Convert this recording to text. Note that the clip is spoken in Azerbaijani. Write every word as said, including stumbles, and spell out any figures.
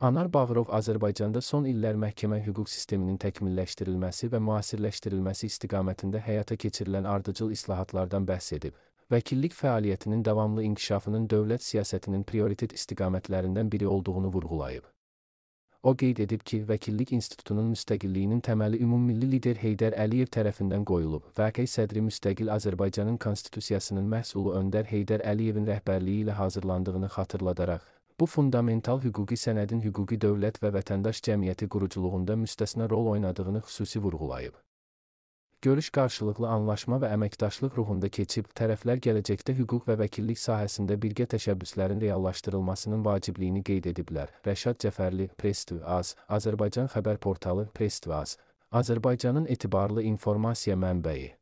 Anar Bağırov Azərbaycanda son illər məhkəmə hüquq sisteminin təkmilləşdirilməsi və müasirləşdirilməsi istiqamətində həyata keçirilən ardıcıl islahatlardan bəhs edib. Vəkillik fəaliyyətinin davamlı inkişafının dövlət siyasətinin prioritet istiqamətlərindən biri olduğunu vurğulayıb. O qeyd edib ki, Vəkillik İnstitutunun müstəqilliyinin təməli ümummilli lider Heydər Əliyev tərəfindən qoyulub. Vəqe sədri müstəqil Azərbaycanın konstitusiyasının məhsulu Öndər Heydər Əliyevin rəhbərliyi ilə hazırlandığını xatırladaraq, bu fundamental hüquqi sənədin hüquqi dövlət və vətəndaş cəmiyyəti quruculuğunda müstəsna rol oynadığını xüsusi vurğulayıb. Görüş qarşılıqlı anlaşma və əməkdaşlıq ruhunda keçib, tərəflər gələcəkdə hüquq və vəkillik sahəsində birgə təşəbbüslərin reallaşdırılmasının vacibliyini qeyd ediblər. Rəşad Cəfərli, Press to Az, Azərbaycan xəbər portalı Press to Az, Azərbaycanın etibarlı informasiya mənbəyi.